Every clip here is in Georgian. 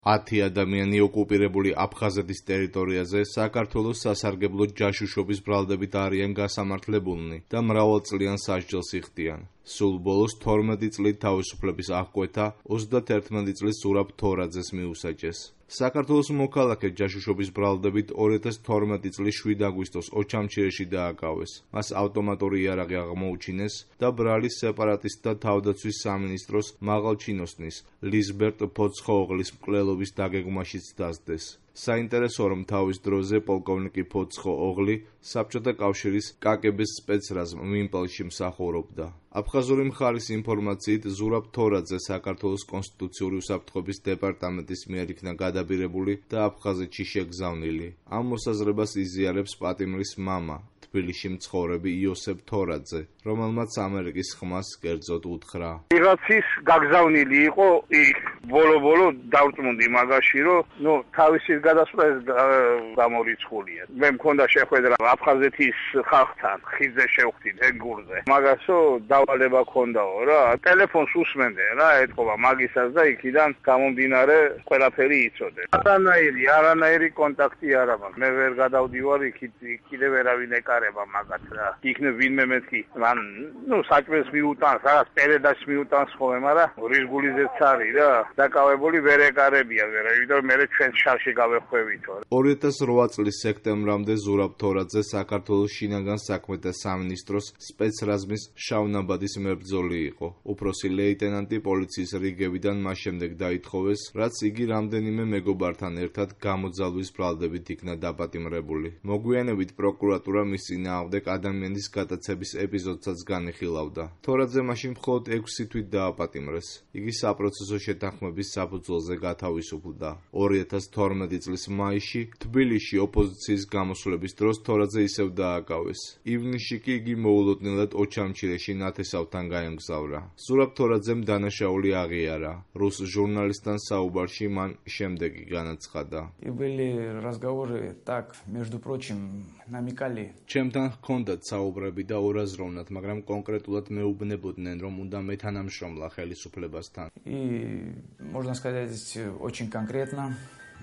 10 ადამიანი ოკუპირებული აფხაზეთის ტერიტორიაზე საქართველოს სასარგებლო ჯაშუშობის ბრალდებით არიან გასამართლებულნი და მრავალწლიან სასჯელს იხდიან. სულ ბოლოს 12 წლით თავისუფლების აღკვეთა 31 წლის ზურაბ თორაძეს მიუსაჯეს. საქართველოს მოქალაქე ჯაშუშობის ბრალდებით 2012 წლის 7 აგვისტოს ოჩამჩირეში დააკავეს. მას ავტომატური იარაღი აღმოუჩინეს და ბრალის სეპარატისტთა თავდაცვის სამინისტროს მაღალჩინოსნის ლიზბერტ ფოცხოოღლის მკვლელობის დაგეგმაშიც დასდეს. საინტერესოა, რომ თავის დროზე პოლკოვნიკი ფოცხოოღლი საბჭოთა კავშირის კაკების სპეცრაზმ მინპელში მსახურობდა. აფხაზური მხარის ინფორმაციით, ზურაბ თორაძე საქართველოს კონსტიტუციური უსაფრთხოების დეპარტამენტის მიერ იქნა გადაბირებული და აფხაზეთში შეგზავნილი. ამ მოსაზრებას იზიარებს პატიმრის მამა, თბილისში მცხოვრები იოსებ თორაძე, რომელმაც ამერიკის ხმას კერძოდ უთხრა. ვიღაცის გაგზავნილი იყო იქ ბოლო დავწმუნდი მაგაში, რომ თავისი გადასვლა გამორიცხულია. მე მქონდა შეხვედრა აფხაზეთის ხალხთან, ხიძზე შევხვდით ეგურზე. მაგასო დავალება ქონდაო რა, ტელეფონს უსმენდნენ რა, ეთქობა მაგისას და იქიდან გამომდინარე ყველაფერი იცოდე. არანაირი კონტაქტი არ აქვს. მე ვერ გადავდივარ იქით, კიდევ ვერავინ ეკარება მაგათ რა. იქნებ ვინმე მეთქი, მან საჭმელს მიუტანს, რაღაც პერედას მიუტანს ხოლმე, მაგრამ რისგულიზეც არის რა. დაკავებული ვერ ეკარებია ვერა, იმიტომ მე ჩვენ შარში გავეხვევითო. 2008 წლის სექტემბრამდე ზურაბ თორაძე საქართველოს შინაგან საქმეთა სამინისტროს სპეცრაზმის შავნაბადის მებრძოლი იყო. უფროსი ლეიტენანტი პოლიციის რიგებიდან მას შემდეგ დაითხოვეს, რაც იგი რამდენიმე მეგობართან ერთად გამოძალვის ბრალდებით იქნა დაპატიმრებული. მოგვიანებით პროკურატურა მის წინააღმდეგ ადამიანის გადაცემის ეპიზოდსაც განიხილავდა. თორაძე მაშინ მხოლოდ 6 თვით დააპატიმრეს. იგი საპროცესო შეთანხმების საფუძველზე გათავისუფლდა. 2012 წლის მაისში თბილისში ოპოზიციის გამოსვლების დროს თორაძე ისევ დააკავეს. ივნისში კი იგი მოულოდნელად ოჩამჩირეში ნათესავთან გაემგზავრა. ზურაბ თორაძემ დანაშაული აღიარა. რუს ჟურნალისტთან საუბარში მან შემდეგი განაცხადა. Были разговоры так, между прочим, намекали. ჩემთან ჰქონდათ საუბრები და ორაზროვნად, მაგრამ კონკრეტულად მეუბნებოდნენ, რომ უნდა მეთანამშრომლა ხელისუფლებასთან. И можно сказать очень конкретно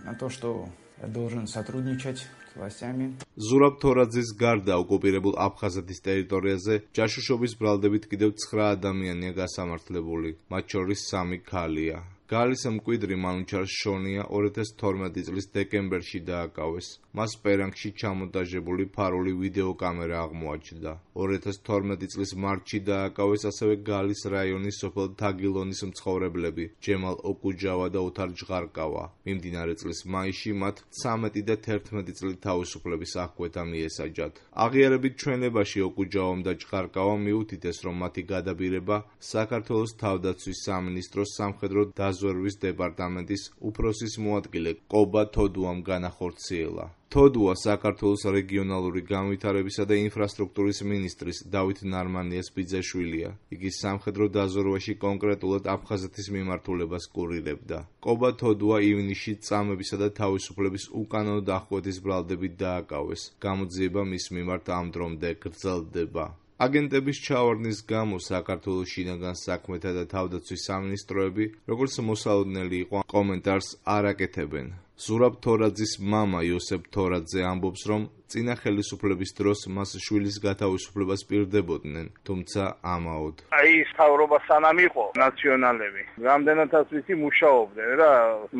на то, что я должен сотрудничать с властями. ზურაბ თორაძის გარდა ოკუპირებულ აფხაზეთის ტერიტორიაზე ჯაშუშობის ბრალდებით კიდევ 9 ადამიანია გასამართლებული, მათ შორის 3 ქალია. გალის მკვიდრი მანუჩარ შონია 2012 წლის დეკემბერში დააკავეს. მას პერანგში ჩამონტაჟებული ფარული ვიდეოკამერა აღმოაჩნდა. 2012 წლის მარტში დააკავეს ასევე გალის რაიონის სოფელ თაგილონის მცხოვრებლები ჯემალ ოკუჯავა და ოთარ ჟღარკავა. მიმდინარე წლის მაისში მათ 13 და 11 წლით თავისუფლების აღკვეთა მიესაჯათ. აღიარებით ჩვენებაში ოკუჯავამ და ჟღარკავამ მიუთითეს, რომ მათი გადაბირება საქართველოს თავდაცვის სამინისტროს სამხედრო დაზვერვის დეპარტამენტის უფროსის მოადგილე კობა თოდუამ განახორციელა. თოდუა საქართველოს რეგიონალური განვითარებისა და ინფრასტრუქტურის მინისტრის დავით ნარმანიას ბიძაშვილია. იგი სამხედრო დაზვერვაში კონკრეტულად აფხაზეთის მიმართულებას კურირებდა. კობა თოდუა ივნისში წამებისა და თავისუფლების უკანონო დახკვეთის ბრალდებით დააკავეს. გამოძიება მის მიმართ ამ დრომდე გრძელდება. აგენტების ჩავარდნის გამო საქართველოს შინაგან საქმეთა და თავდაცვის სამინისტროები, როგორც მოსალოდნელი იყო, კომენტარს არ აკეთებენ. ზურაბ თორაძის მამა იოსებ თორაძე ამბობს, რომ წინა ხელისუფლების დროს მას შვილის გათავისუფლებას პირდებოდნენ, თუმცა ამაოდ. ის თავრობა სანამ იყო ნაციონალები, რამდენადაც ვიცი მუშაობდნენ რა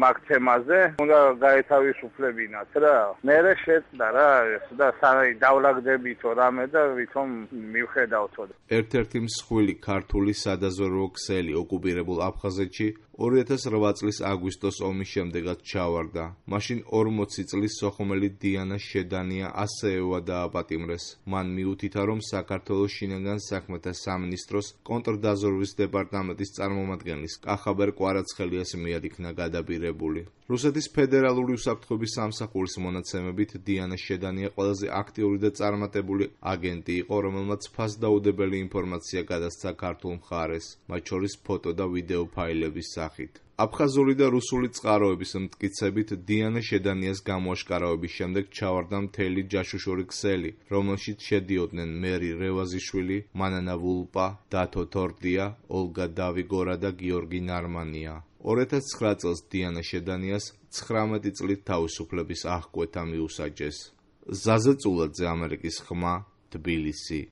მაგ თემაზე, უნდა გაეთავისუფლებინათ რა. მერე შეწყდა რა ეს და დავლაგდებითო რამე და ვითომ მივხედავთო. ერთ-ერთი მსხვილი ქართული სადაზვერვო ქსელი ოკუპირებულ აფხაზეთში 2008 წლის აგვისტოს ომის შემდეგაც ჩავარდა. მაშინ 40 წლის სოხუმელი დიანა შედანია ასეევა დააპატიმრეს. მან მიუთითა, რომ საქართველოს შინაგან საქმეთა სამინისტროს კონტრდაზვერვის დეპარტამენტის წარმომადგენლის კახაბერ კვარაცხელიას მიერ იქნა გადაბირებული. რუსეთის ფედერალური უსაფრთხოების სამსახურის მონაცემებით დიანა შედანია ყველაზე აქტიური და წარმატებული აგენტი იყო, რომელმაც ფასდაუდებელი ინფორმაცია გადასცა ქართულ მხარეს, მათ შორის ფოტო და ვიდეო ფაილების სახით. აფხაზური და რუსული წყაროების მტკიცებით დიანა შედანიას გამოაშკარავების შემდეგ ჩავარდა მთელი ჯაშუშური ქსელი, რომელშიც შედიოდნენ მერი რევაზიშვილი, მანანა ვულპა, დათო თორდია, ოლგა დავიგორა და გიორგი ნარმანია. 2009 წელს დიანა შედანიას 19 წლით თავისუფლების აღკვეთა მიუსაჯეს. ზაზე წულაძე, ამერიკის ხმა, თბილისი.